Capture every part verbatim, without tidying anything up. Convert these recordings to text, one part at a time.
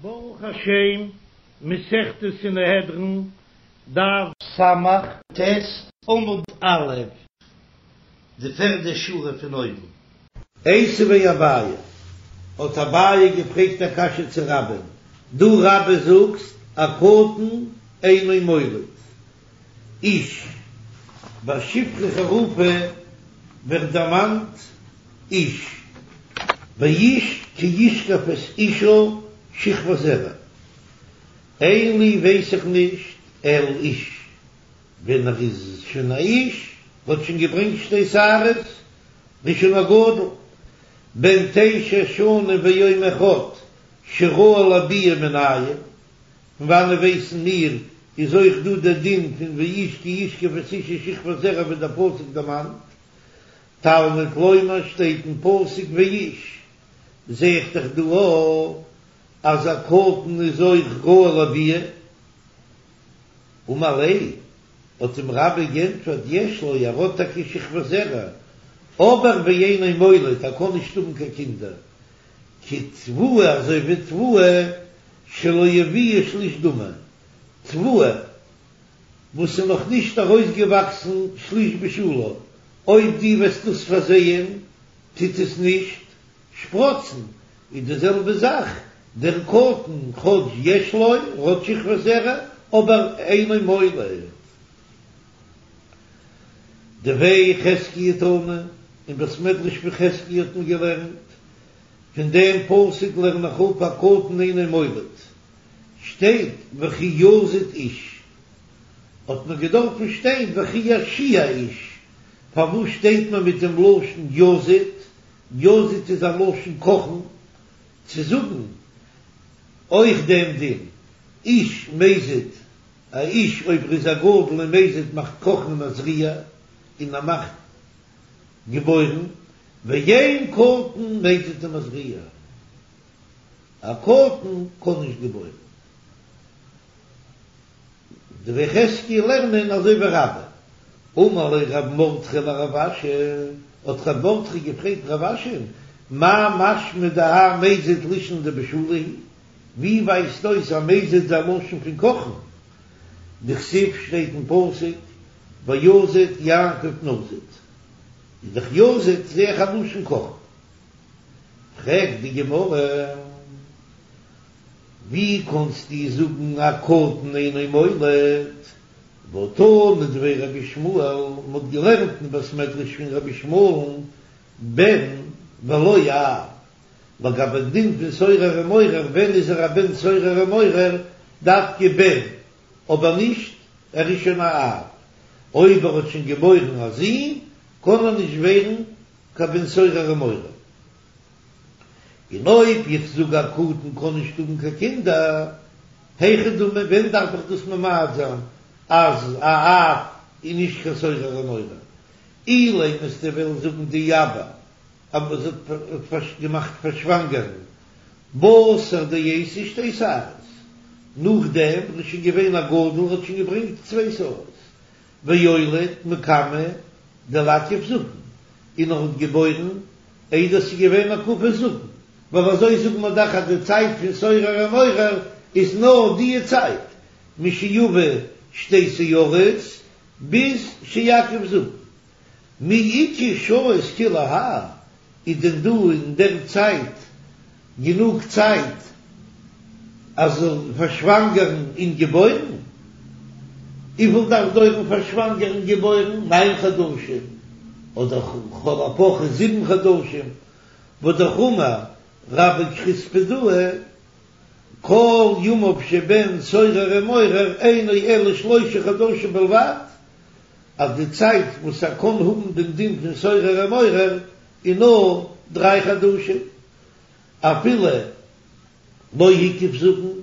ברוך השם, מסכת סנהדרין, דף סמך ט עמוד א', די פערדע שורה פון אויבן. איתיביה אביי, האט אביי געפרעגט א קשיא צו רבה'ן, דו רבה זאגסט א קטן אינו מוליד, איש, ביי שפחה חרופה ווערט דערמאנט איש, ואיש כי ישכב את אשה שכבת זרע, אין לי ווייס איך נישט אלא איש, ווען ער איז שוין א איש, האט שוין געברענגט שתי שערות, איז שוין א גדול, בן תשע שנים ויום אחד שראוי לביאה מנין, פון וואנען ווייסן מיר איז אויך דא דער דין פון ואיש כי ישכב את אשה שכבת זרע ווי דער פסוק דערמאנט, תלמוד לומר שטייט אין פסוק ואיש, זע איך דאך דא אויך אז א קטן איז אויך ראוי לביאה. אמר ליה, האט אים רבה גענטפערט יש לו ער האט טאקע שכבת זרע, אבער ואינו מוליד ער קען נישט האבן קיין קינדער, כתבואה אזוי ווי תבואה שלא הביאה שליש דמי, תבואה וואס איז נאך נישט ארויסגעוואקסן שליש בשלה, אויב דו וועסט דאס פארזייען טוט עס נישט שפראצן, איז די זעלבע זאך דער קטן כאטש יש לו ער האט שכבת זרע אבער אינו מוליד. דבי חזקיה תנא, אין בית מדרש פון חזקיה האט מען געלערנט, פון דעם פסוק לערן איך אפ א קטן אינו מוליד, שטייט וכי יזיד איש, האט מען געדארפן שטיין וכי ירשיע איש, פארוואס שטייט מען מיט דעם לשון יזיד, יזיד איז א לשון קאכן, צו זאגן אויך דעם דין, איש מזיד, א איש אויב ער איז א גדול און מזיד מאכט קאכן ומזריע און ער מאכט געבוירן, ואין קטן מזיד ומזריע, א קטן קען נישט געבוירן. דבי חזקיה לערנען אזוי ווי רבה. אמר ליה רב מרדכי לרב אשי, האט רב מרדכי געפרעגט רב אשי'ן, מאי משמע דהאי מזיד לישנא דבישולא הוא? ווי ווייזט אויס אז מזיד איז א לשון פון קאכן? דכתיב שטייט אין פסוק ויזד יעקב נזיד, איז דאך יזיד זעה איך א לשון קאכן. פרעגט די גמרא, ווי קאנסטו זאגן א קטן אינו מוליד? והא תנא דבי רבי ישמעאל, מען האט געלערנט אין בית מדרש פון רבי ישמעאל'ן בן ולא אב, לגבי דין פון סורר ומורה, ווען איז ער א בן סורר ומורה? דווקא בן, אבער נישט ער איז שוין א אב, אויב ער האט שוין געבוירן א זון קען ער נישט ווערן קיין בן סורר ומורה. און אויב איך זאג א קטן קען נישט האבן קיין קינדער, היכי דמי, ווען דארף איך דאס ממעט זיין אז א אב איז נישט קיין סורר ומורה? אילימא וועסטו וועלן זאגן דאיעבר אז זי האט געמאכט פארשוואנגערן בתר דאייתי שתי שערות, נאכדעם ער איז שוין געווען א גדול האט שוין געברענגט צוויי שערות, ואוליד מקמי דליכף זקן, און ער האט געבוירן איידער ס'איז געווען הקפת זקן, ווייל אזוי זאגן מיר דאך אז די צייט פון סורר ומורה איז נאר די צייט משיביא שתי שערות ביז שיקיף זקן. מי איכא שעות כולי האי, איז דען דא אין דער צייט גענוג צייט אז זאל פארשוואנגערן און געבוירן? וויפיל דארף דויערן פארשוואנגערן און געבוירן? ניין חדשים אדער לכל הפחות זיבן חדשים? והאמר רבה כריספדאה כל ימיו של בן סורר ומורה אינו אלא שלושה חדשים בלבד, אז די צייט וואס ער קען האבן דעם דין פון סורר ומורה איז נאר דריי חדשים, אפילו לא הקיף זקן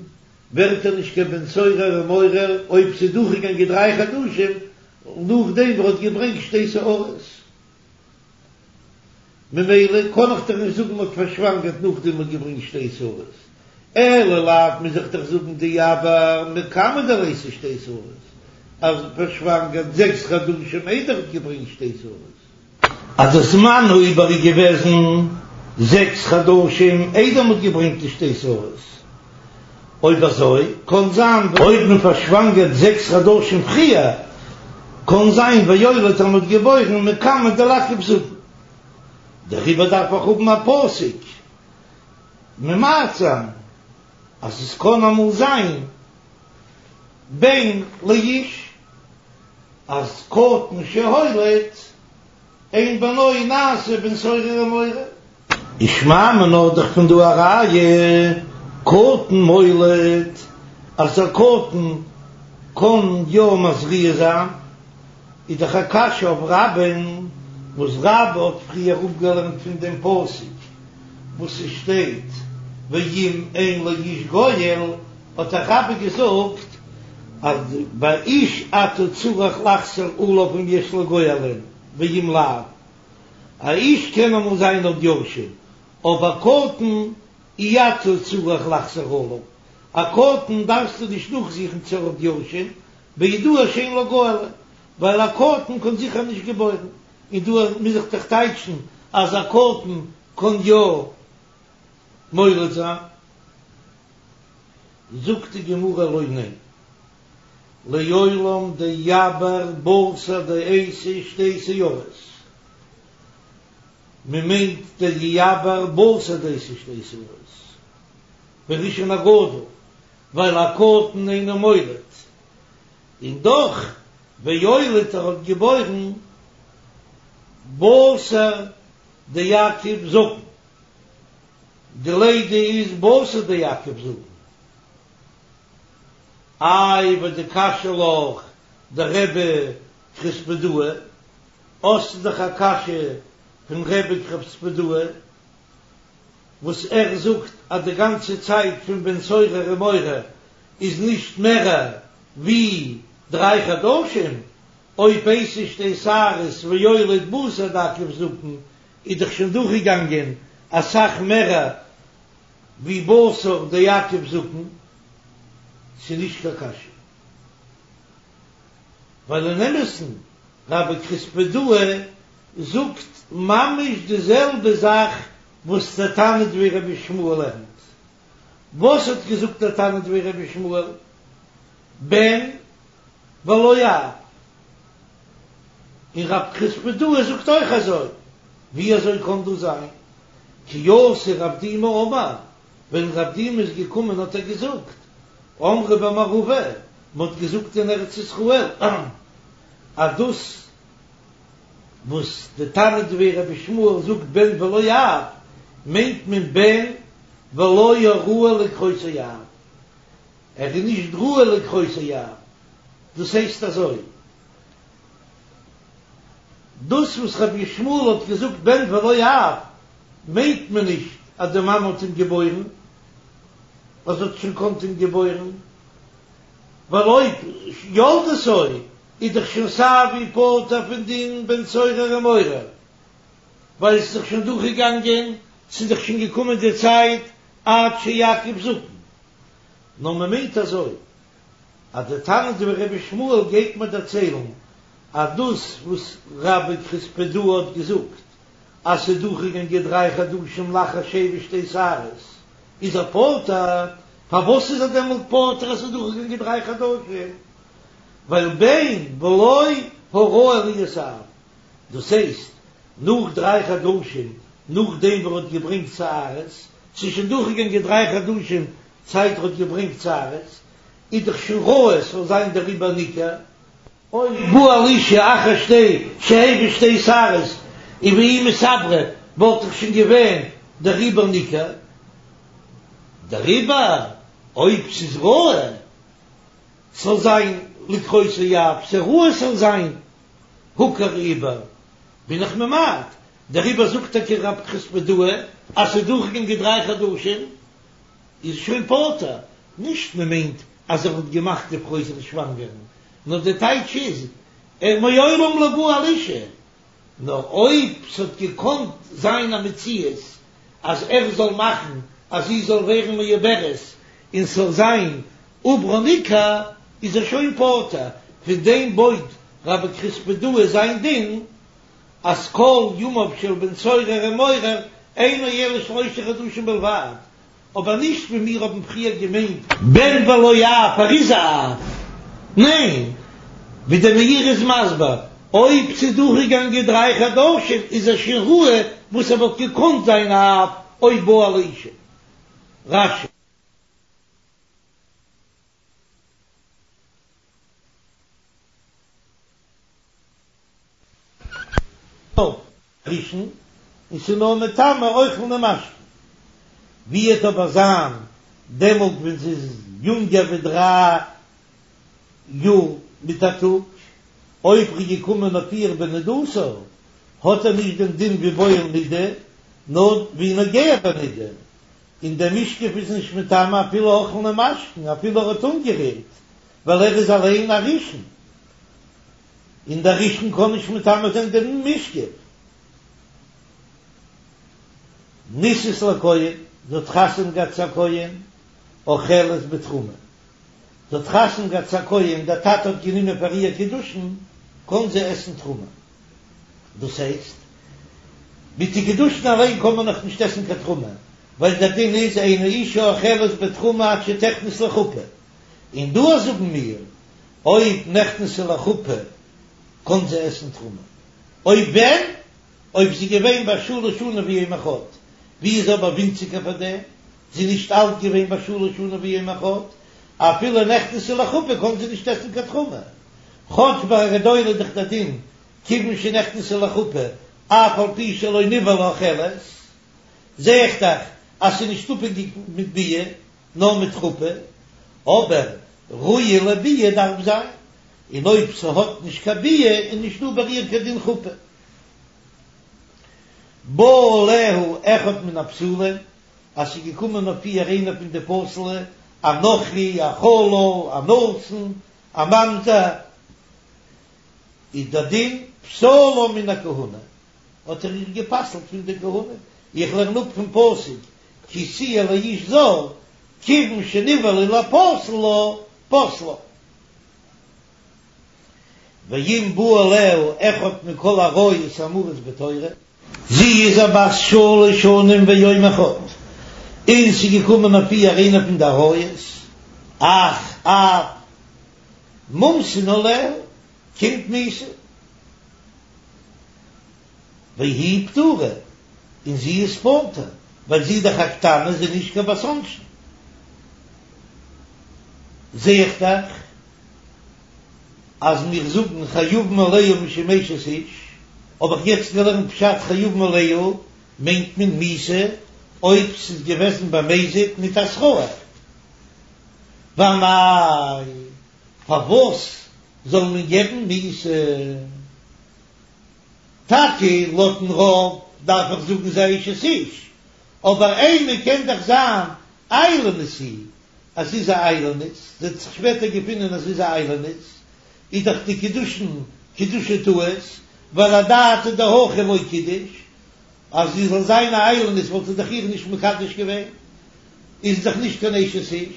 ווערט ער נישט קיין בן סורר ומורה אויב ס'איז דורכגעגאנגען דריי חדשים נאכדעם וואס ער האט געברענגט שתי שערות. ממילא קען איך דאך נישט זאגן מ'האט פארשוואנגערט נאכדעם מ'האט געברענגט שתי שערות, אלא לאו מוז איך דאך זאגן דאיעבר מקמי דליתי שתי שערות, אז פארשוואנגערט זעקס חדשים איידער האט געברענגט שתי שערות. אז די זמן העיבור איז געוועזן זעקס חדשים איידער מ'האט געברענגט די שתי שערות, אויב אזוי קאן זיין אויב מען פארשוואנגערט זעקס חדשים פריער, קאן זיין ויולד אז מען האט געבוירן מקמי דליעכב זקן. דעריבער דארף איך האבן א פסוק ממעט זיין אז עס קאן אמאל זיין בן לאיש אז קטן שהוליד אין בנו נעשה בן סורר ומורה. ושמע מינה דאך פון דא א ראיה קטן מוליד אז א קטן קען יא מזריע זיין, איז דאך א קשיא אויף רבה'ן וואס רבה האט פריער אפגעלערנט פון דעם פסוק וואס עס שטייט ואם אין לאיש גואל, האט דאך רבה געזאגט אז ביי איש אתה צריך לחזור עליו אם יש לו גואלין ואם לאו, א איש קען אמאל זיין האט יורשים, אבער קטן אי אתה צריך לחזור עליו, א קטן דארפסטו נישט נאכזוכן צו ער האט יורשים, בידוע שאין לו גואלין, ווייל א קטן קען זיכער נישט געבוירן, און דא מוז איך דאך טייטשן אז א קטן קען יא מוליד זיין. זאגט די גמרא לא ניין, לעולם דיעבר בתר דאייתי שתי שערות, מען מיינט דיעבר בתר דאייתי שתי שערות, בראשון הגדול, ווייל א קטן אינו מוליד, און דאך ויולד ער האט געבוירן בתר דיקיף זקן, די לידה איז בתר דיקיף זקן. איי ודקשיא לך דרבי כרוספדאי, האסטו דאך א קשיא פון רבי כרוספדאי וואס ער זאגט אז די גאנצע צייט פון בן סורר ומורה איז נישט מער ווי דריי חדשים, אויב אייתי שתי שערות ויולד בתר דאקיף זקן איז דאך שוין דורכגעגאנגען אסאך מער ווי בתר דיקיף זקן, ס'איז נישט קיין קשיא, ווייל אין אמת'ן רבי כרוספדאי זאגט ממש די זעלבע זאך וואס דער תנא דבי רבי ישמעאל לערנט. וואס האט געזאגט דער תנא דבי רבי ישמעאל? בן ולא אב. און רב כרוספדאי זאגט אויך אזוי. ווי אזוי קען דאס זיין? כי אתא רב דימי אמר, ווען רב דימי איז געקומען האט ער געזאגט, אמרי במערבא, מען האט געזאגט אין ארץ ישראל, אז דאס וואס די תנא דבי רבי ישמעאל זאגט בן ולא אב, מיינט מען בן ולא הראוי לקרותו אב, ער איז נישט ראוי לקרותו אב, דאס הייסט אזוי. דאס וואס רבי ישמעאל האט געזאגט בן ולא אב, מיינט מען נישט אז די מאמע האט אים געבוירן, אז זי האט שוין געקאנט אים געבוירן, ווייל אויב ילדתו איז דאך שוין סייווי פטור פון דין בן סורר ומורה, ווייל עס איז דאך שוין דורכגעגאנגען, ס'איז דאך שוין געקומען די צייט עד שיקיף זקן. נאר מען מיינט אזוי, אז די תנא דבי רבי ישמעאל גייט מיר דערציילן אז דאס וואס רבי כרוספדאי האט געזאגט אז ס'איז דורכגעגאנגען דריי חדשים לאחר שהביא שתי שערות איז ער פטור, פארוואס איז ער דעמאלט פטור אז ס'איז דורכגעגאנגען דריי חדשים? ווייל בן ולא הראוי להיות אב, דאס הייסט נאך דריי חדשים נאכדעם וואס ער האט געברענגט שערות, ס'איז שוין דורכגעגאנגען דריי חדשים זייט ער האט געברענגט שערות, איז דאך שוין ראוי ס'זאל זיין דער עובר ניכר. אויב בא על אשה אחר שתי שהביא שתי שערות און והיא מתעברה וואלט דאך שוין געווען דער עובר ניכר. דעריבער אויב ס'איז ראוי ס'זאל זיין לקרותו אב, ס'איז ראוי ס'זאל זיין הוכר עובר, בין איך ממעט, דעריבער זאגט טאקע רב כרוספדאי אז ס'איז דורכגעגאנגען דריי חדשים איז שוין פטור, נישט מען מיינט אז ער האט געמאכט די פרוי זיך שוואנגערן, נאר די טייטש איז ער מעולם לא בא על אשה, נאר אויב ס'האט געקאנט זיין א מציאות אז ער זאל מאכן אז זי זאל ווערן מעוברת און ס'זאל זיין עוברה ניכר איז ער שוין פטור, פון דעם בויט רבי כרוספדאי זיין דין אז כל ימיו של בן סורר ומורה אינו אלא שלושה חדשים בלבד, אבער נישט ווי מיר האבן פריער געמיינט בן ולא אב, ער איז א אב, ניין, ווי דער מאירי איז מסביר, אויב ס'איז דורכגעגאנגען דריי חדשים איז ער שוין ראוי וואס ער וואלט געקאנט זיין א אב אויב בא על האשה. רש"י. ראשון, און ס'איז נאר מטמא אוכלין ומשקין. ווי וועט אבער זיין דעמאלט ווען זי איז יונגער ווי דריי יאר מיט א טאג, אויב ר'איז געקומען אויף איר בנדתה, האט ער נישט דעם דין ווי בועל נידה, נאר ווי נוגע בנידה, און דער משכב איז נישט מטמא אפילו אוכלין ומשקין, אפילו ער האט אנגערירט, ווייל ער איז אליין א ראשון. און דער ראשון קען נישט מטמא זיין דעם משכב. נישאת לכהן, זי האט חתונה געהאט צו א כהן, אוכלת בתרומה. זי האט חתונה געהאט צו א כהן, דער טאטע האט גענומען פאר איר קידושין, קען זי עסן תרומה. דאס הייסט, מיט די קידושין אליין קען מען נאך נישט עסן קיין תרומה, ווייל דער דין איז אין האשה אוכלת בתרומה עד שתכנס לחופה. און דא זאגן מיר, אויב נכנסה לחופה קען זי עסן תרומה, אויב ווען? אויב זי געווען בת שלש שנים ויום אחד, ווי איז אבער ווינציגער פאר דעם, זי איז נישט אלט געווען בת שלש שנים ויום אחד, אפילו נכנסה לחופה קען זי נישט עסן קיין תרומה, כאטש ביי א גדולה איז דאך דער דין כיוון שנכנסה לחופה אף על פי שלא נבעלה אוכלת, זע איך דאך אז ס'איז נישט אפהענגיק מיט ביאה נאר מיט חופה, אבער ראויה לביאה דארף זיין, און אויב ס'האט נישט קיין ביאה איז נישט דא ביי איר קיין דין חופה. בא עליה אחד מן הפסולים, אז ס'איז געקומען אויף איר איינער פון די פסול'ע, א נכרי, א חלל, א נתין, א ממזר, איז דער דין פסלה מן הכהונה, האט ער איר גע'פסל'ט פון די כהונה, איך לערן אפ פון פסוק כי תהיה לאיש זר, כיוון שנבעלה ליפסל לה, פסלה. ואם בא עליה אחד מכל העריות האמורות בתורה. זי איז א בת שלש שנים ויום אחד, און ס'איז געקומען אויף איר איינער פון די עריות, אח, אב, מומתין עליה, קומט מיתה. והיא פטורה, און זי איז פטור, ווייל זי איז דאך א קטנה, זי איז נישט קיין בת עונשין. זע איך דאך אז מיר זאגן חייבין עליה משום אשת איש, האב איך יעצט געלערנט פשט חייבין עליה מיינט מען מיתה אויב ס'איז געוועזן במזיד מיט התראה. ואמאי, פארוואס זאל מען געבן מיתה? טאקע לויטן רוב דארף איך זאגן זי איז אשת איש, אבער אימא קען דאך זיין איילונית היא, אז זי איז א איילונית, זי האט זיך שפעטער געפונען אז זי איז א איילונית, איז דאך די קידושין קידושי טעות, ווייל אדעתא דהכי לא קידש, אז זי זאל זיין א איילונית וואלט ער דאך איר נישט מקדש געווען, איז דאך נישט קיין אשת איש,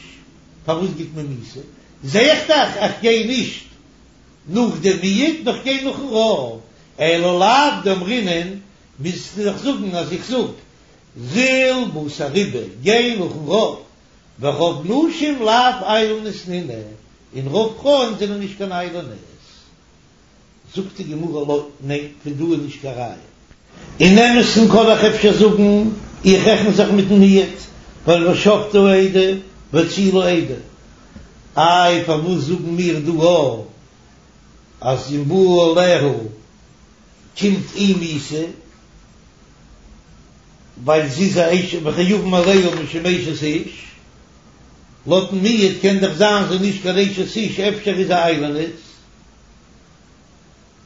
פארוואס גיט מען מיתה? זע איך דאך איך גיי נישט נאך דעם מיעוט נאר כ'גיי נאכן רוב, אלא לאו דאמרינן, מוזטו דאך זאגן אז איך זאג זיל בתר רובא, גיי נאכן רוב, ורוב נשים לאו איילוניות נינהו, און רוב פרויען זענען נישט קיין איילונית. זאגט די גמרא לא, ניין, פון דא איז נישט קיין ראיה. אין אמת'ן קען איך אפשר זאגן, איך רעכן זיך מיטן מיעוט, ווייל ושפטו העדה והצילו העדה. איי פארוואס זאגן מיר דא א אז אם בא עליה קומט איר מיתה ווייל זי איז א אשת וחייבין עליה משום אשת איש, לויטן מיעוט קען דאך זיין זי איז נישט קיין אשת איש אפשר איז זי איילונית.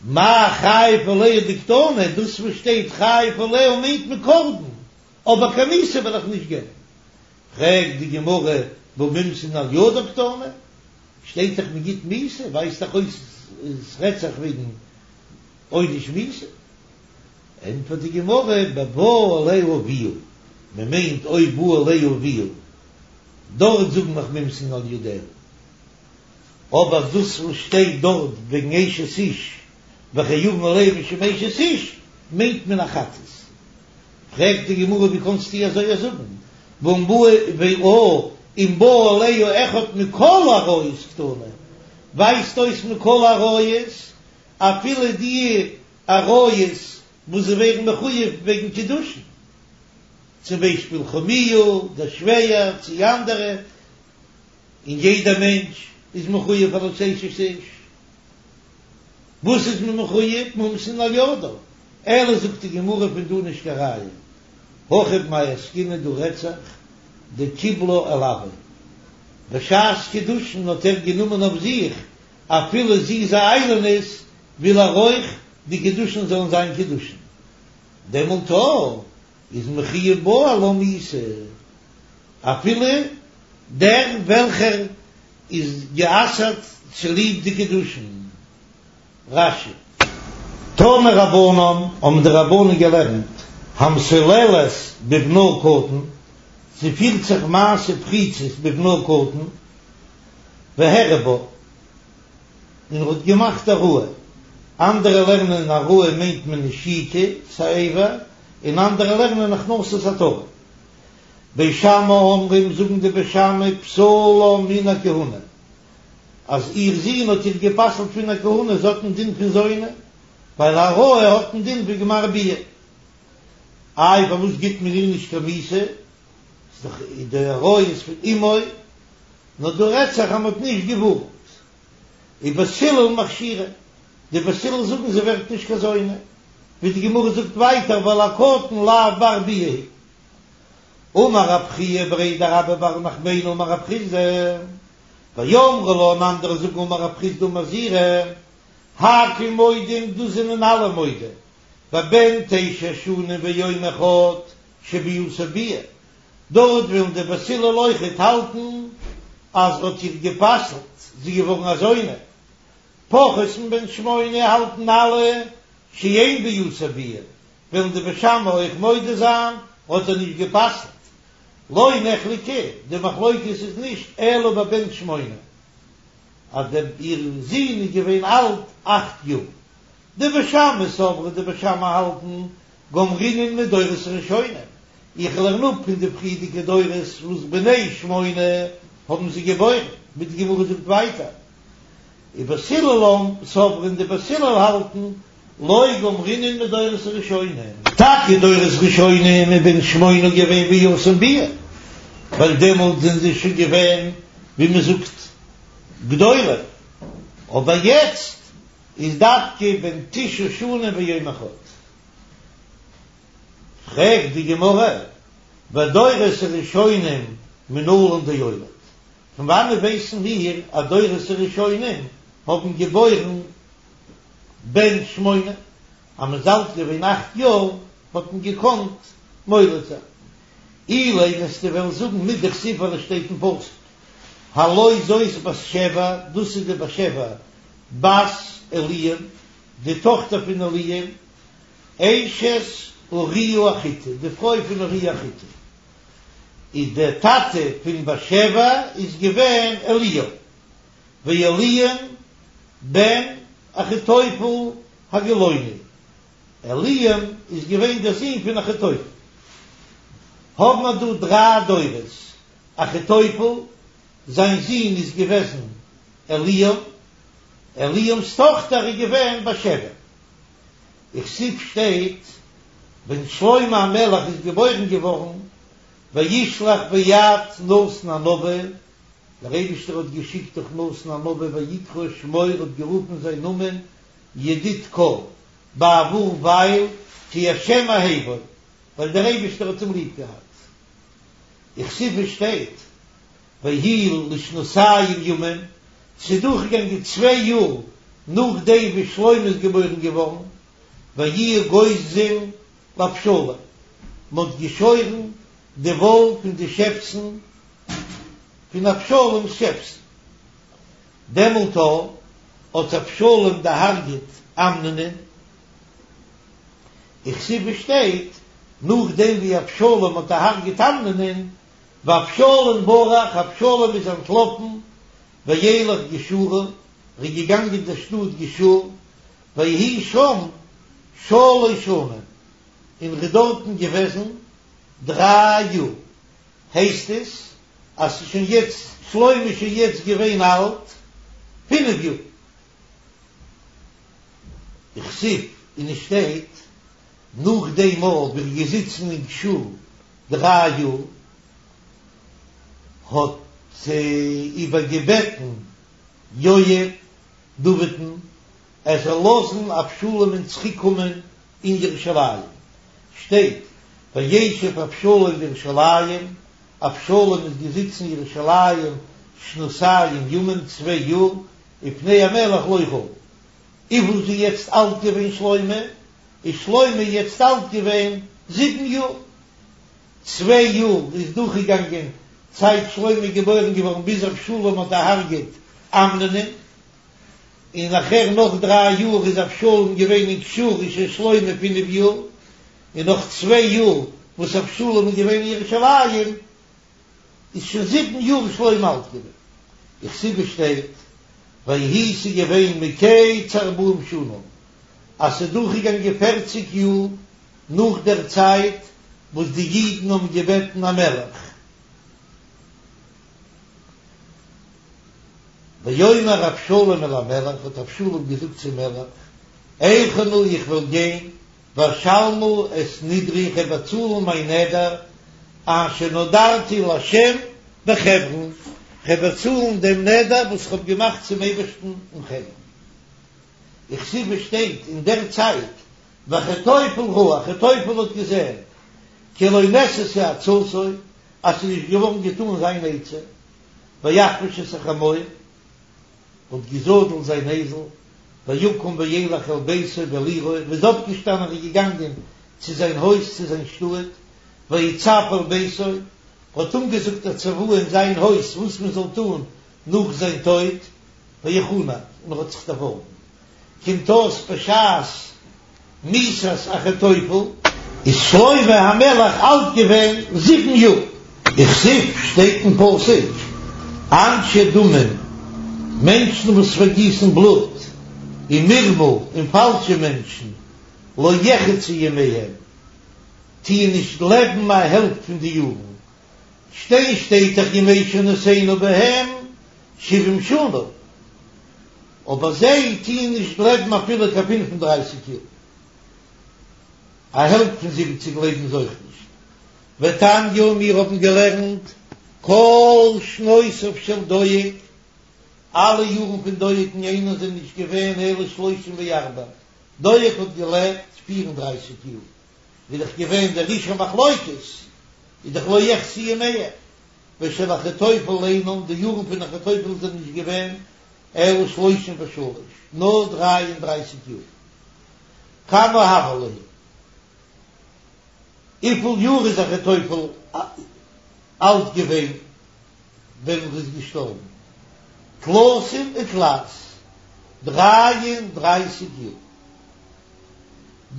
מאי חייב עליה דקתני, דאס וואס שטייט חייב עליה מיינט מען קרבן, אבער קיין מיתה וועל איך נישט געבן. פרעגט די גמרא והא מומתין על ידה קתני, שטייט דאך מען גיט מיתה, ווייזט דאך אויס עס רעדט זיך וועגן עונש מיתה. ענטפערט די גמרא בבא עליה אביה, מען מיינט אויב בא עליה אביה, דארט זאגן מיר מומתין על ידה, אבער דאס וואס שטייט דארט וועגן אשת איש וחייבין עליה משום אשת איש מיינט מען א חטאת. פרעגט די גמרא ווי קאנסטו אזוי זאגן, ואם בא עליה אחד מכל העריות קתני, ווייזט אויס מכל העריות, אפילו די עריות וואס זיי ווערן מחויב וועגן קידושין, צום ביישפיל חמיה, דער שווער, צי אנדערע, און יעדער מענטש איז מחויב פאר אן אשת איש. וואס איז מען מחויב? מומתין על ידה. אלא זאגט די גמרא פון דא נישט קיין ראיה. הכא במאי עסקינן דא רעדט זיך דקיבלה עילויה. בשעת קידושין האט ער גענומען אויף זיך אפילו זי איז א איילונית וויל ער אויך די קידושין זאלן זיין קידושין. דעמאלט איז מחויב בעלה מיתה אפילו דער וועלכער איז גע'אסר'ט צוליב די קידושין. רש"י. תנו רבנן, האבן די רבנן געלערנט, המסוללת בבנה קטן, זי פירט זיך מעשה פריצות בבנה קטן, והראה בה, און ער האט געמאכט העראה, אנדערע לערנען העראה מיינט מען נשיקה, ס'אבר, און אנדערע לערנען הכנסת עטרה. בית שמאי אומרים זאגן די בית שמאי פסלה מן הכהונה, אז איר זון האט איר גע'פסל'ט פון א כהונה, זי האט א דין פון זונה, ווייל העראה האט א דין פון גמר ביאה. איי פארוואס גיט מען איר נישט קיין מיתה? ס'איז דאך די העראה איז פון אמו, נאר דא רעדט זיך אז מ'האט נישט געווארנט. ובית הלל מכשירה, די בית הלל זאגן זי ווערט נישט קיין זונה, ווי די גמרא זאגט ווייטער ווייל א קטן לאו בר ביאה הוא. אמר רב חייא בריה דרבה בר נחמני אמר רב חסדא, ואמרי לה און אנדערע זאגן אמר רב חסדא אמר זעירי, הכל מודים דאס זענען אלע מודה, בבן תשע שנים ויום אחד שביאתו ביאה, דארט ווילן די בית הלל אויכעט האלטן אז ר'האט איר גע'פסל'ט, זי איז געווארן א זונה, פחות מבן שמונה האלטן אלע שאין ביאתו ביאה, וועלן די בית שמאי אויך מודה זיין האט ער נישט גע'פסל'ט, לא נחלקו, די מחלוקת איז נישט אלא בבן שמונה, אז דער איר זון איז געווען אלט אכט יאר, די בית שמאי סברי די בית שמאי האלטן גמרינן מדורות הראשונים, איך לערן אפ פון די פריערדיגע דורות וואס בני שמונה האבן זיי געבוירן, ווי די גמרא זאגט ווייטער, ובית הלל סברי די בית הלל האלטן לא גמרינן מדורות הראשונים. טאקע דורות ראשונים איז בן שמונה געווען ביאתן ביאה, ווייל דעמאלט זענען זיי שוין געווען ווי מען זאגט גדולים, אבער יעצט איז דווקא בן תשע שנים ויום אחד. פרעגט די גמרא, ודורות הראשונים מנלן דאוליד, פון וואנעט ווייסן מיר אז דורות הראשונים האבן געבוירן בן שמונה, אז מ'איז אלט געווען אכט יאר האט מען געקאנט מוליד זיין? אילימא וועסטו וועלן זאגן מדכתיב ווייל עס שטייט אין פסוק הלא זאת בת שבע, דאס איז די בת שבע בת אליעם, די טאכטער פון אליעם, אשת אוריה החתי, די פרוי פון אוריה החתי, איז דער טאטע פון בת שבע איז געווען אליעם, ואליעם בן אחיתופל הגילוני, אליעם איז געווען דער זון פון אחיתופל. האבן מיר דא דריי דורות, אחיתופל, זיין זון איז געוועזן אליעם, אליעם'ס טאכטער איז געווען בת שבע. וכתיב שטייט ווען שלמה המלך איז געבוירן געווארן, וישלח ביד נתן הנביא, דער אייבישטער האט געשיקט דורך נתן הנביא ויקרא שמו ער האט גערופן זיין נאמען ידיד כל, בעבור ווייל כי השם אהבו, ווייל דער אייבישטער האט אים ליב געהאט. וכתיב שטייט ויהי לשנתיים ימים, ס'איז דורכגעגאנגען צוויי יאר נאכדעם ווי שלמה איז געבוירן געווארן, ויהיו גוזזים לאבשלום, מ'האט געשוירן די וואל פון די שעפסן פון אבשלום'ס שעפסן. דעמאלט האט אבשלום דערהרגעט אמנונ'ען, וכתיב שטייט, נאכדעם ווי אבשלום האט דערהרגעט אמנונ'ען, ואבשלום ברח, אבשלום איז אנטלאפן, וילך גשורה, ער איז געגאנגען אין דער שטאט גשור, ויהי שם שלש שנים, און ער איז דארטן געוועזן דריי יאר. הייסט עס אז ס'איז שוין יעצט, שלמה איז שוין יעצט געווען אלט פינף יאר. וכתיב, און עס שטייט, נאך דעם מאל ווי ער איז געזיצן אין גשור דריי יאר, האט איבערגעבעטן יואב דוד'ן ער זאל לאזן אבשלום'ן צוריקקומען אין ירושלים, שטייט וישב אבשלום בירושלים, אבשלום איז געזיצן אין ירושלים שנתיים ימים, צוויי יאר, ופני המלך לא ראו. וויפיל איז יעצט אלט געווען שלמה? איז שלמה יעצט אלט געווען זיבן יאר. צוויי יאר איז דורכגעגאנגען צייט שלמה איז געבוירן געווארן ביז אבשלום האט דערהרגעט אמנונ'ען, און נאכער נאך דריי יאר איז אבשלום געווען אין גשור איז שוין שלמה פינף יאר, און נאך צוויי יאר וואס אבשלום איז געווען אין ירושלים איז שוין זיבן יאר שלמה אלט געווען. וכתיב, עס שטייט ויהי ס'איז געווען מקץ ארבעים שנה אז ס'איז דורכגעגאנגען פערציג יאר נאך דער צייט וואס די אידן האבן געבעטן א מלך. ויאמר אבשלום אל המלך, האט אבשלום געזאגט צום מלך, אלכה נא איך וועל גיין, ואשלמה את נדרי איך וועל באצאלן מיין נדר, אשר נדרתי לה' בחברון, איך וועל באצאלן דעם נדר וואס איך האב געמאכט צום אייבערשטן אין חברון. וכתיב, עס שטייט אין דער צייט, ואחיתופל ראה, אחיתופל האט געזען, כי לא נעשתה עצתו, אז ס'איז נישט געווארן געטאן זיין עצה, ויחבוש את החמור, האט געזאדלט זיין אייזל, ויקום וילך אל ביתו ואל עירו, און איז אויפגעשטאנען און געגאנגען צו זיין הויז צו זיין שטאט, ויצו אל ביתו, האט אנגעזאגט א צוואה אין זיין הויז וואס מען זאל טאן נאך זיין טויט, ויחנק, און ער האט זיך דערווארגן. קומט אויס בשעת מיתת אחיתופל איז שלמה המלך אלט געווען זיבן יאר. וכתיב, שטייט אין פסוק, אנשי דמים, מענטשן וואס פארגיסן בלוט, ומרמה, און פאלשע מענטשן, לא יחצו ימיהם, טוען נישט לעבן א העלפט פון די יארן, שטיין שטייט דאך ימי שנותינו בהם שבעים שנה, אבער זיי טוען נישט לעבן אפילו קיין פֿינף און דרײַסיק יאר, א העלפט פון זיבעציג לעבן זיי אויך נישט. ותניא, מיר האבן געלערנט כל שנותיו של דואג, אלע יארן פון דואג'ן אינן זענען נישט געווען אלא שלושים וארבע, דואג האט געלעבט פֿיר און דרײַסיק יאר, איז דאך געווען דער איש המחלוקת, איז דאך לא יחצו ימיהם, ושל אחיתופל אינן, די יארן פון אחיתופל זענען נישט געווען אלא שלושים ושלש, נאר דריי און דרייסיג יאר. כמה הוה להו? וויפיל יאר איז אחיתופל אלט געווען ווען ער איז געשטארבן? תלתין ותלת, דריי און דרייסיג יאר.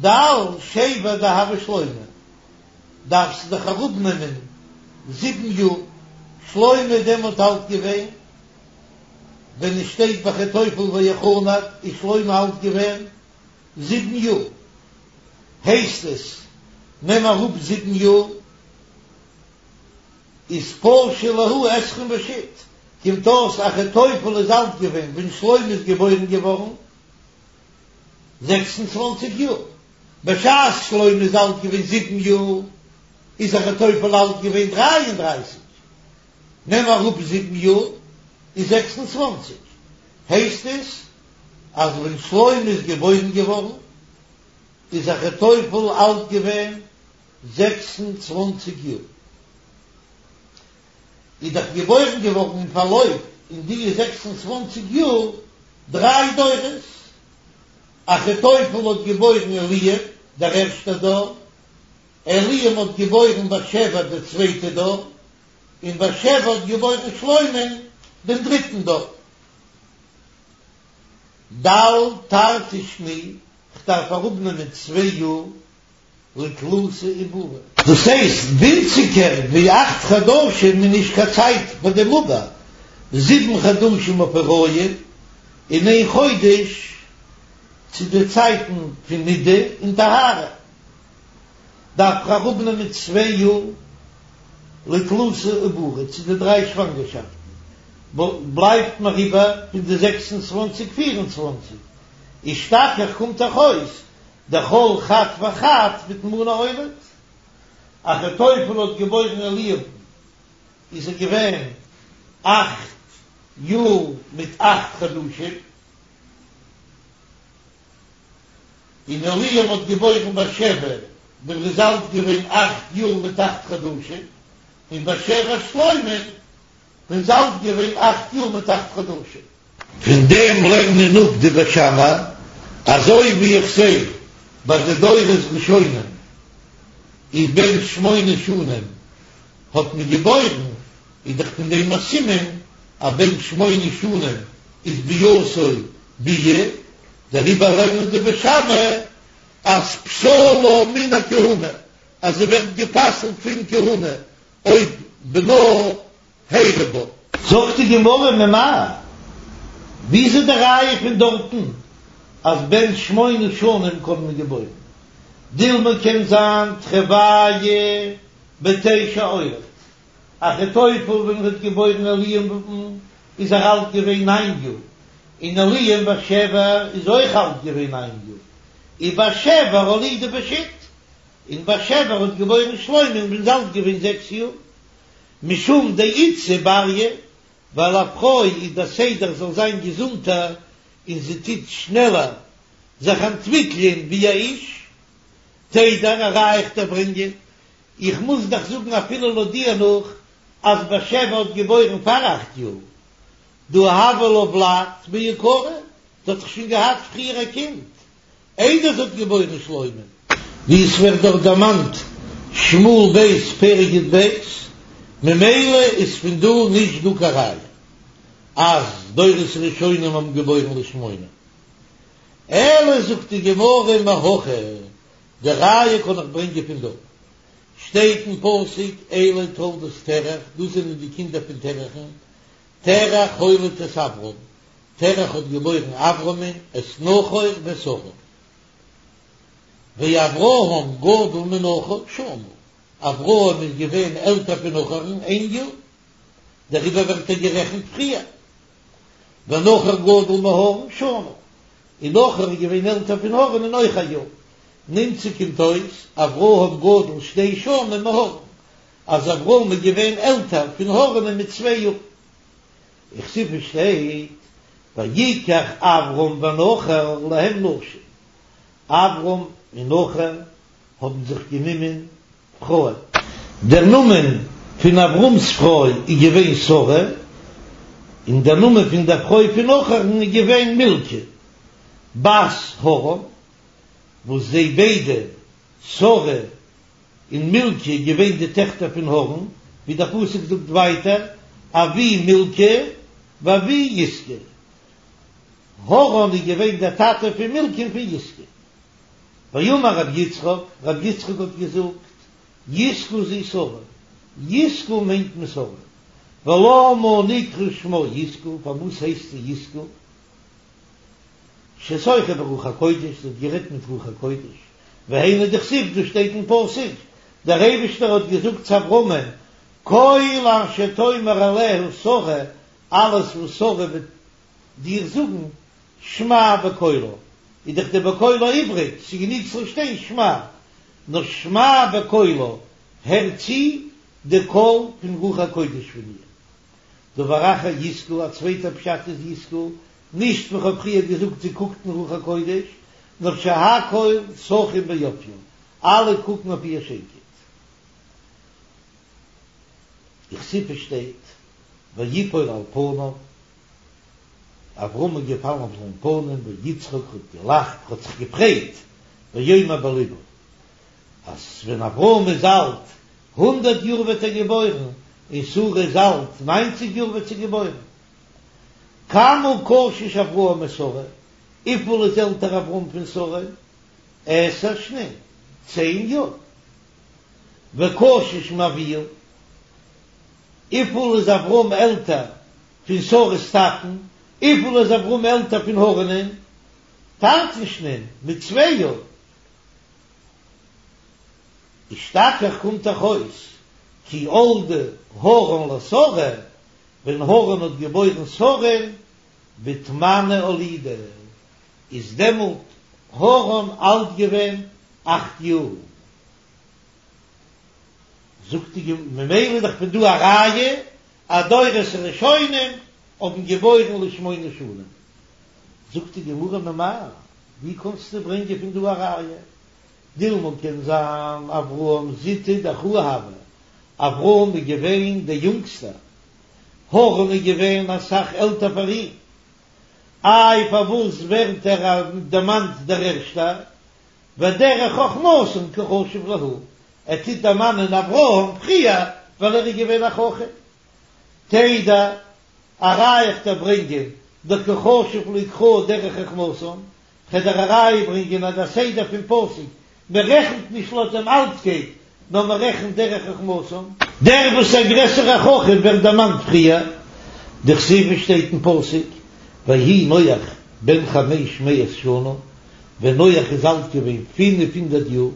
דל שבע דהוה שלמה, דארפסטו דאך אראפנעמען זיבן יאר, שלמה איז דעמאלט אלט געווען, ווען עס שטייט ביי אחיתופל ויחנק איז שלמה אלט געווען זיבן יאר, הייסט עס נעם אראפ זיבן יאר איז פשו להו עשרים ושית, קומט אויס אחיתופל איז אלט געווען ווען שלמה איז געבוירן געווארן זעקס און צוואַנציק יאר, בשעת שלמה איז אלט געווען זיבן יאר איז אחיתופל אלט געווען דריי און דרייסיג, נעם אראפ זיבן יאר איז זעקס און צוואַנציק, הייסט עס אז ווען שלמה איז געבוירן געווארן איז אחיתופל אלט געווען זעקס און צוואַנציק יאר, איז דאך געבוירן געווארן אין פארלויף אין די זעקס און צוואַנציק יאר דריי דורות, אחיתופל האט געבוירן אליאב דער ערשטער דור, אליעם האט געבוירן בת שבע דער צווייטער דור, און בת שבע האט געבוירן שלמה'ן דעם דריטן דור. דל תרתי שני, כ'דארף אראפנעמען צוויי יאר לתלתא עיבורי. דאס הייסט ווינציגער ווי אכט חדשים איז נישט קיין צייט פאר דעם עובר, זיבן חדשים אויף הריון און איין חודש צו די צייטן פון נידה און טהרה. דארף איך אראפנעמען צוויי יאר לתלתא עיבורי צו די דריי שוואנגערשאפטן, בלייבט מיר איבער פון די זעקס און צוואַנציק פֿיר און צוואַנציק, אשתכח קומט דאך אויס דכל חד וחד בתמניא אוליד. אחיתופל האט געבוירן אליאב'ן איז ער געווען אכט יאר מיט אכט חדשים, און אליאב האט געבוירן בת שבע ווען ער איז אלט געווען אכט יאר מיט אכט חדשים, און בת שבע שלמה'ן ווען איז אלט געווען אכט יאר מיט אכט חדשים. פון דעם לערנען אפ די בית שמאי, אזוי ווי איך זע ביי די דורות ראשונים איז בן שמונה שנים האט מען געבוירן, איז דאך פון דעם א סימן אז בן שמונה שנים איז ביאתו ביאה, דעריבער לערנען די בית שמאי אז פסולה מן הכהונה, אז זי ווערט גע'פסל'ט פון כהונה אויב בנה הערה בה. זאגט די גמרא ממאי, ווי איז די ראיה פון דארטן אז בן שמונה שנים קען מען געבוירן? דילמא קען זיין תרוייהו בתשע אוליד, אחיתופל ווען ער האט געבוירן אליאב'ן איז ער אלט געווען ניין יאר, און אליאב בת שבע איז אויך אלט געווען ניין יאר, ובת שבע אולידה בשית, און בת שבע האט געבוירן שלמה'ן ווען איז אלט געווען זעקס יאר, משום דאיתתא בריא, ווייל א פרוי איז דער סדר זאל זיין געזונטער און זי טוט שנעלער זיך אנטוויקלען ווי א איש, תדע א ראיה איך דיר ברענגען, איך מוז דאך זאגן אפילו לויט דיר נאך אז בת שבע האט געבוירן פאר אכט יאר, דהא הוה לה ולד מעיקרא, זי האט דאך שוין געהאט פריער א קינד איידער זי האט געבוירן שלמה. ווי עס ווערט דארט דערמאנט שמואל ב' פרק י"ב, ממילא איז פון דא נישט דא קיין ראיה אז דורות ראשונים האבן געבוירן לשמונה, אלא זאגט די גמרא מהכא, די ראיה קען איך ברענגען פון דא, שטייט אין פסוק אלה תולדות תרח, דאס זענען די קינדער פון תרח'ן, תרח הוליד את אברם, תרח האט געבוירן אברמ'ן, את נחור ואת הרן. ואברהם גדול מנחור שנה, אברהם איז געווען עלטער פון נחור'ן איין יאר, דעריבער ווערט ער גערעכנט פריער. ונחור גדול מהרן שנה, און נחור איז געווען עלטער פון הרן אויך א יאר. נמצא קומט אויס, אברהם גדול שתי שנים מהרן, אז אברהם איז געווען עלטער פון הרן מיט צוויי יאר. וכתיב שטייט ויקח אברם ונחור להם נשים, אברם און נחור האבן זיך גענומען פרויען. דער נאמען פון אברהם'ס פרוי איז געווען שרה, און דער נאמען פון דער פרוי פון נחור'ן איז געווען מלכה בת הרן, וואס זיי ביידע, שרה און מלכה געווען די טעכטער פון הרן, ווי דער פסוק זאגט ווייטער, אבי מלכה ואבי יסכה. הרן איז געווען דער טאטע פון מלכה און פון יסכה. ואמר רבי יצחק, רבי יצחק האט געזאגט, יסכה זו שרה, יסכה מיינט מען שרה. ולמה נקרא שמה יסכה, פארוואס הייסט זי יסכה? ששוחה ברוח הקודש, זי האט גערעדט מיט רוח הקודש, והיינו דכתיב, דאס שטייט אין פסוק, דער אייבישטער האט געזאגט צו אברהמען, כל אשר תאמר אליך שרה, אלעס וואס שרה וועט דיר זאגן, שמע בקולה, איז דאך די בקולה איבריג, ס'איז גענוג ס'זאל שטיין שמע, נאר שמע בקולה, הער צו די קול פון רוח הקודש פון איר. דבר אחר יסכה, א צווייטער פשט איז יסכה, נישט ווי כ'האב פריער געזאגט זי קוקט אין רוח הקודש, נאר שהכל שחין ביופיה, אלע קוקן אויף איר שיינקייט. וכתיב שטייט ויפול על פניו, אברהם איז געפאלן אויף זיין פנים, ויצחק האט געלאכט, האט זיך געפרייט, ויאמר בלבו, אז ווען אברהם איז אלט הונדערט יאר וועט ער געבוירן, און שרה איז אלט ניינציג יאר וועט זי געבוירן. כמה קשיש אברהם משרה, וויפיל איז עלטער אברהם פון שרה? עשר שנין, צען יאר. וקשיש מאביה, וויפיל איז אברהם עלטער פון שרה'ס טאטן? וויפיל איז אברהם עלטער פון הרן'ען? תרתין שנין, מיט צוויי יאר. אשתכח קומט דאך אויס כי ילדה הרן לשרה, ווען הרן האט געבוירן שרה'ן, בתמניא אולידה, איז דעמאלט הרן אלט געווען אכט יאר. זאגט די גמ', ממילא איז דאך פון דא א ראיה אז דורות הראשונים האבן געבוירן לשמונה שנים. זאגט די גמרא ממאי, ווי קענסטו ברענגען פון דא א ראיה? דילמא קען זיין אברהם זוטא דאחוה הוה, אברהם איז געווען דער יונגסטער, הרן איז געווען אסאך עלטער פאר אים, איי פארוואס ווערט ער דערמאנט דער ערשטער? ודרך חכמתן קא חשיב להו, ער טוט דערמאנען אברהם פריער ווייל ער איז געווען א חכם. תדע, א ראיה איך דיר ברענגען דקא חשיב להו קרא דרך חכמתן, כ'וועל דיר א ראיה ברענגען אז דער סדר פון פסוק, מען רעכנט נישט לויט דעם אלטקייט, נאר מען רעכנט דרך חכמתן. דער וואס איז א גרעסערע חכם ווערט דערמאנט פריער, דכתיב שטייט אין פסוק, ויהי נח בן חמש מאות שנה, ווען נח איז אלט געווען פינף הונדערט יאר,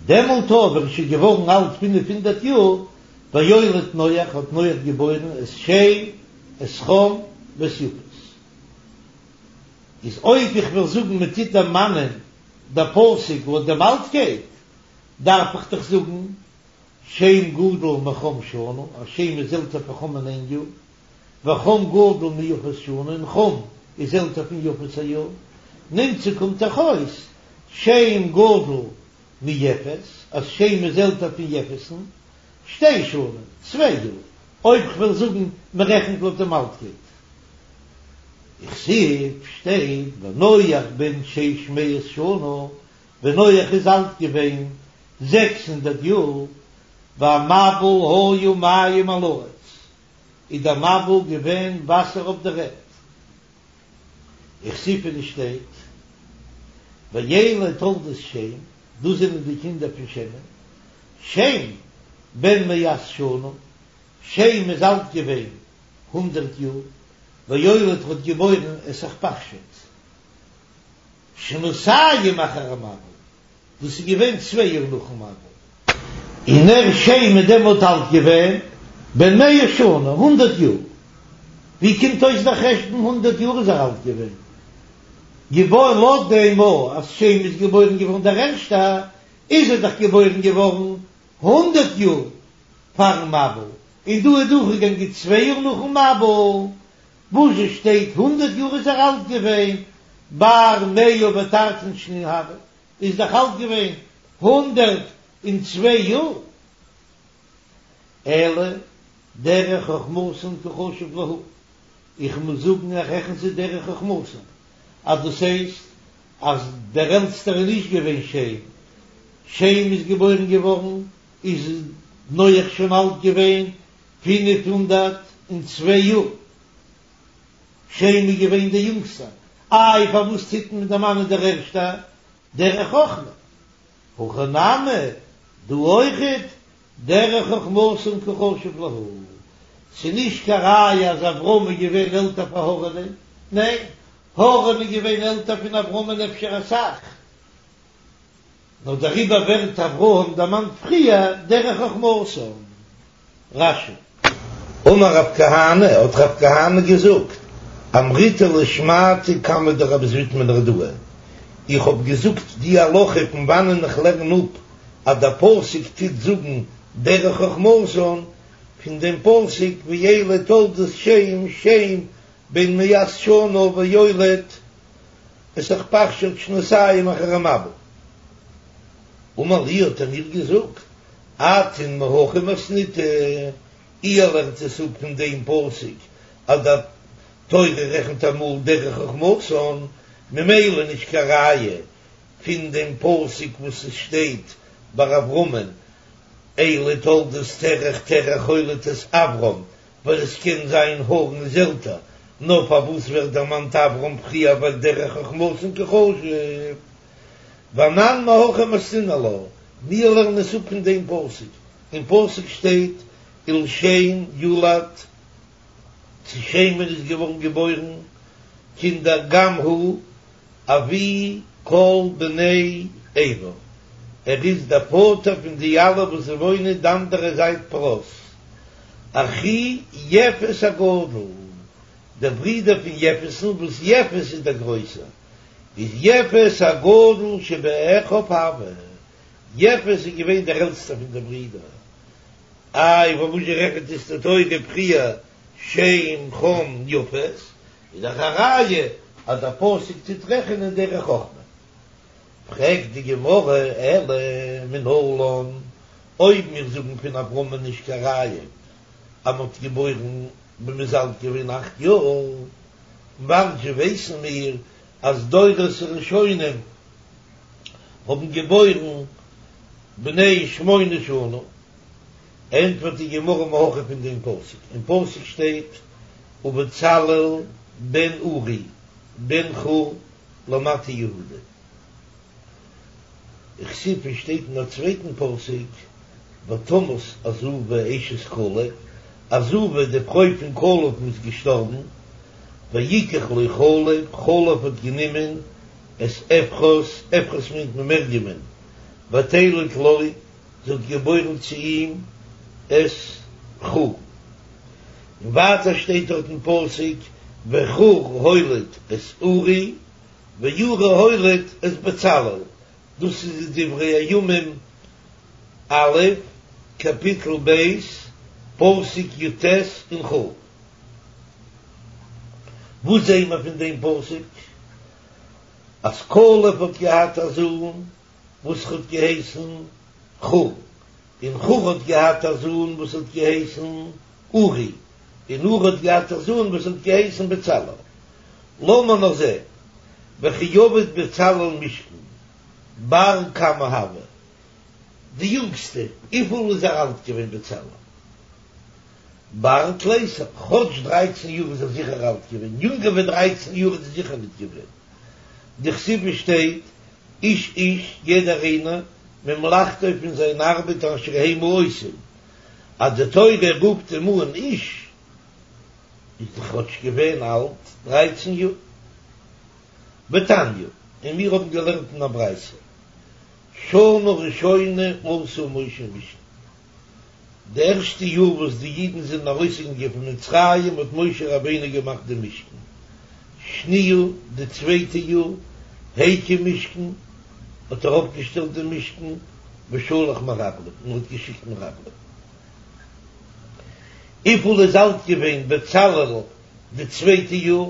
דעמאלט אבער איז שוין געווארן אלט פינף הונדערט יאר, ויולד נח, האט נח געבוירן את שם, את חם, ואת יפת. איז אויב איך וועל זאגן מען טוט דערמאנען דער פסוק לויט דעם אלטקייט, דארף איך דאך זאגן שם גדול מחם שנה, אז שם איז עלטער פון חם'ן איין יאר, וחם גדול מיפת שנה, און חם איז עלטער פון יפת א יאר, נמצא קומט דאך אויס שם גדול מיפת, אז שם איז עלטער פון יפת'ן, שתי שנים, צוויי יאר, אויב כ'וועל זאגן מ'רעכנט לויט דעם אלטקייט. וכתיב שטייט ונח בן שש מאות שנה, ווען נח איז אלט געווען זעקס הונדערט יאר, והמבול היה מים על הארץ, איז דער מבול געווען וואסער אויף דער ערד. וכתיב און עס שטייט ואלה תולדות שם, דאס זענען די קינדער פון שם'ן, שם בן מאת שנה, שם איז אלט געווען הונדערט יאר, ויולד האט געבוירן את ארפכשד שנתים אחר המבול, דאס איז געווען צוויי יאר נאכן מבול, און ער שם איז דעמאלט אלט געווען בן מאה שנה, הונדערט יאר, ווי קומט אויס דער חשבון הונדערט יאר איז ער אלט געווען, געבוירן לויט דעם אז שם איז געבוירן געווארן דער ערשטער, איז ער דאך געבוירן געווארן הונדערט יאר פארן מבול, און דא איז דורכגעגאנגען צוויי יאר נאכן מבול, וואס זשע שטייט הונדערט יאר איז ער אלט געווען, בר מאה ותרתין שנין הוה, איז דאך אלט געווען הונדערט און צוויי יאר, אלא דרך חכמתן קא חשיב להו, איך מוז זאגן איך רעכן זיי דרך חכמתן, אז דאס הייסט אז דער עלטסטער איז נישט געווען שם, שם איז געבוירן געווארן איז נח שוין אלט געווען פינף הונדערט און צוויי יאר, שם איז געווען דער יונגסטער, איי פארוואס טוט מען דערמאנען דער ערשטער דרך חכמה, הכא נמי דא אויכעט דרך חכמתן קא חשיב להו, ס'איז נישט קיין ראיה אז אברהם איז געווען עלטער פאר הרן'ען, ניין, הרן איז געווען עלטער פון אברהמ'ן אפשר אסאך, נאר דעריבער ווערט אברהם דערמאנט פריער דרך חכמתן. רש"י. אמר רב כהנא, האט רב כהנא געזאגט, אמריתה לשמעתא קמיה דרב זביד מנהרדעא, איך האב געזאגט די הלכה פון וואנען איך לערן אפ אז דער פסוק טוט זאגן דרך חכמתן, פון דעם פסוק ואלה תולדות שם שם בן מאת שנה ויולד את ארפכשד שנתים אחר המבול. אמר לי האט ער מיר געזאגט, אתון מהכא מתניתו, איר לערנט עס אפ פון דעם פסוק אז די תורה רעכנט אמאל דרך חכמתן, ממילא נישט קיין ראיה פון דעם פסוק וואס עס שטייט ביי אברהמען אלה תולדות תרח תרח הוליד את אברם, ווייל עס קען זיין הרן איז עלטער, נאר פארוואס ווערט דערמאנט אברהם פריער ווייל דרך חכמתן קא חשיב ואנן מהכא מתנינן לה, מיר לערנען עס אפ פון דעם פסוק, אין פסוק שטייט ולשם יולד, צו שם'ן איז געווארן געבוירן קינדער גם הוא אבי כל בני עבר, ער איז דער פאטער פון די אלע וואס וואוינען די אנדערע זייט פרת, אחי יפת הגדול, דער ברודער פון יפת'ן, וואס יפת איז דער גרויסער, איז יפת הגדול שבאחיו הוה, יפת איז געווען דער עלטסטער פון די ברידער, איי פארוואס רעכנט עס די תורה פריער שם חם יפת, איז דאך א ראיה אז דער פסוק טוט רעכענען דרך חכמה. פרעגט די גמרא אלא מנלן, אויב מיר זאגן פון אברהמ'ן נישט קיין ראיה אז מ'האט געבוירן ווען מ'איז אלט געווען אכט יאר, וואנעט זשע ווייסן מיר אז דורות הראשונים האבן געבוירן בני שמונה שנה? ענטפערט די גמרא מהכא פון דעם פסוק, אין פסוק שטייט ובצלאל בן אורי בן חור למטה יהודה. וכתיב שטייט אין א צווייטן פסוק ותמת עזובה אשת כלב, עזובה די פרוי פון כלב איז געשטארבן, ויקח לו כלב, כלב האט גענומען את אפרת, אפרת מיינט מען מרימ'ן, ותלד לו, זי האט געבוירן צו אים את חור. און ווייטער שטייט דארט אין פסוק וחור הוליד את אורי ואורי הוליד את בצלאל, דאס איז אין דברי הימים א' קאפיטל ב' פסוק י"ט און כ'. וואס זעהן מיר פון דעם פסוק? אז כלב האט געהאט א זוהן וואס האט געהייסן חור, און חור האט געהאט א זוהן וואס האט געהייסן אורי, און אורי האט געהאט א זוהן וואס האט געהייסן בצלאל. לאמיר נאר זעהן, וכי עביד בצלאל משכן, בר כמה הוה, די יונגסטע, וויפיל איז ער אלט געווען בצלאל? בר תליסר, כאטש דרייצן יאר איז ער זיכער אלט געווען, יונגער ווי דרייצן יאר איז ער זיכער ניט געווען. דכתיב שטייט, איש איש, יעדער איינער, ממלאכתו פון זיין ארבעט אשר המה עושים, אז די תורה רופט אים אן איש, איז דאך כאטש געווען אלט דרייצן יאר. ותניא, און מיר האבן געלערנט אין א ברייתא, שנה ראשונה עשה משה משכן, די ערשטע יאר וואס די אידן זענען ארויסגעגאנגען פון מצרים האט משה רבינו געמאכט די משכן, שניה, די צווייטע יאר, הקים משכן, האט ער אויפגעשטעלט די משכן, ושלח מרגלים, און האט געשיקט מרגלים. וויפיל איז אלט געווען בצלאל די צווייטע יאר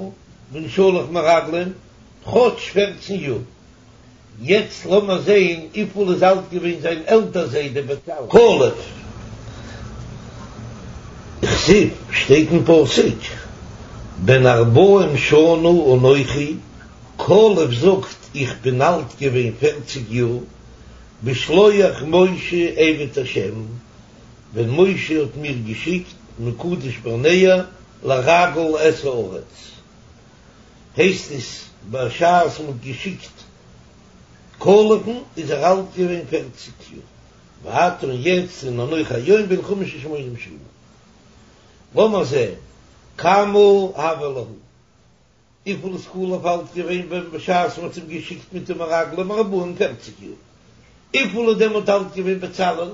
ווען שלח מרגלים? כאטש פערצן יאר. יעצט לאמיר זעהן וויפיל איז אלט געווען זיין עלטער זיידע בצלאל. כלב. דכתיב, שטייט אין פסוק, בן ארבעים שנה אנכי, כלב זאגט איך בין אלט געווען פערציג יאר, בשלוח משה עבד השם, ווען משה האט מיר געשיקט מקדש ברנע לרגל את הארץ. הייסט עס בשעת מ'האט געשיקט כלב'ן איז ער אלט געווען פערציג יאר, ועתה און יעצט הנה אנכי היום בן חמש ושמונים שנה. לאמער זען כמה הוה להו, וויפיל איז כלב אלט געווען ווען בשעת מ'האט אים געשיקט מיט די מרגלים ארבעים פערציג יאר, וויפיל איז דעמאלט אלט געווען בצלאל,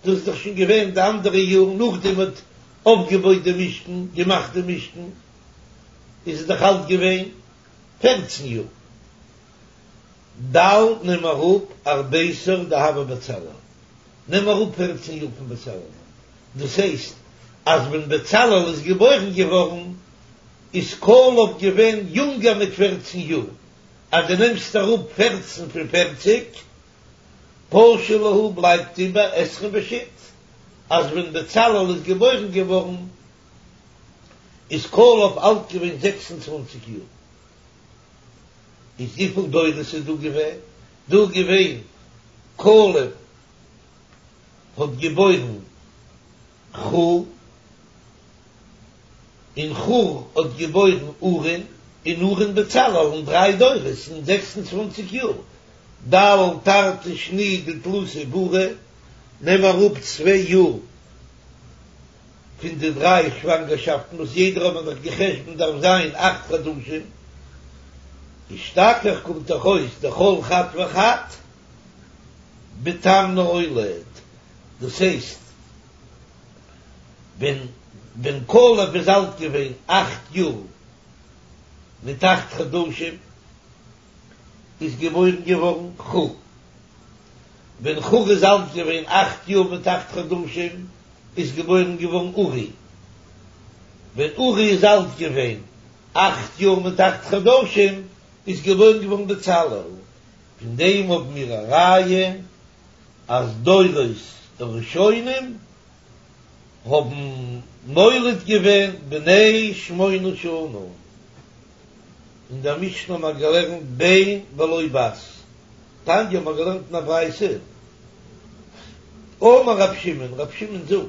דאס איז דאך שוין געווען די אנדערע יאר נאכדעם מ'האט אויפגעבויט די משכן, געמאכט די משכן. איז ער דאך אלט געווען פערצן יאר. דל נעם אראפ ארביסר דהוה בצלאל, נעם אראפ פערצן יאר פון בצלאל, דאס הייסט אז ווען בצלאל איז געבוירן געווארן איז כלב געווען יונגער מיט פערצן יאר, אז דו נעמסט אראפ פערצן פון פערציג, פשו להו בלייבט איבער עשרים ושית, אז ווען בצלאל איז געבוירן געווארן איז כלב אלט געווען זעקס און צוואנציג יאר. איז וויפיל דורות איז דא געווען? דא געווען כלב האט געבוירן חור, און חור האט געבוירן אורי'ן, און אורי'ן בצלאל, אין דריי דורות אין זעקס און צוואנציג יאר. דל תרתי שני דתלת עיבורי, נעם אראפ צוויי יאר. פון די דריי שוואנגערשאפטן וואס יעדער האט מען דאך גע'חשבונ'ט דארף זיין אכט חדשים, אשתכח קומט דאך אויס דכל חד וחד בתמניא אוליד, דאס הייסט ווען ווען כלב איז אלט געווען אכט יאר מיט אכט חדשים איז געבוירן געווארן חור, ווען חור איז אלט געווען אכט יאר מיט אכט חדשים איז געבוירן געווארן אורי, ווען אורי איז אלט געווען אכט יאר מיט אכט חדשים איז געבוירן געווארן בצלאל, פון דעם האבן מיר א ראיה אז דורות הראשונים האבן מוליד געווען בני שמונה שנה, אין דער משנה האבן מיר געלערנט בן ולא בת, תניא האבן מיר געלערנט אין א ברייתא, אמר רב שמעון, רב שמעון זאגט,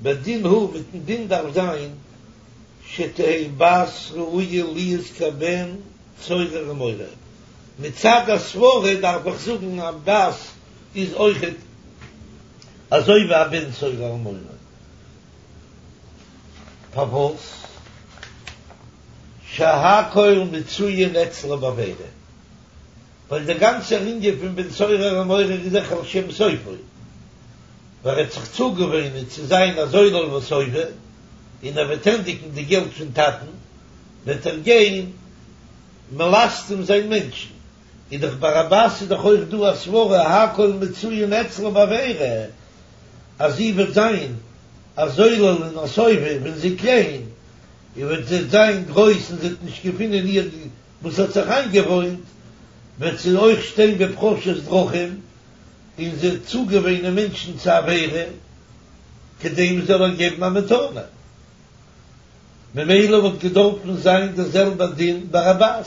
בדין הוא, מיטן דין דארף זיין, שתהא בת ראויה להיות כבן סורר ומורה, מצד הסברה דארף איך זאגן א בת איז אויכעט אזוי ווי א בן סורר ומורה, פארוואס? שהכל מצויין אצלה בעבירה, ווייל דער גאנצער ענין פון בן סורר ומורה איז דאך על שם סופו, ווייל ער וועט זיך צוגעוואוינען צו זיין א זולל וסובא, און ער וועט ענדיגן די געלט פון טאטן, וועט ער גיין מלסטם זיין מענטשן, איז דאך ביי א בת איז דאך אויך דא א סברה הכל מצויין אצלה בעבירה, אז זי וועט זיין א זולל און א סובא ווען זי איז קליין, און ווען זי וועט זיין גרויס און זי וועט נישט געפינען איר וואס האט זיך איינגעוואוינט, וועט זי אויך שטיין בפרשת דרכים, און זי וועט צוגעוואוינען מענטשן צו עבירה, כדי מען זאל איר געבן א מתנה. ממילא וואלט געדארפן זיין דער זעלבער דין ביי א בת,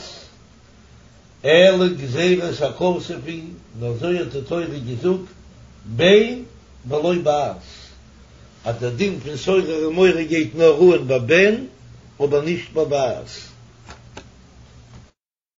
אלא גזירת הכתוב היא, נאר אזוי האט די תורה געזאגט, בן ולא בת, אז דער דין פון סורר ומורה גייט נאר אן ביי בן, אבער נישט ביי בת.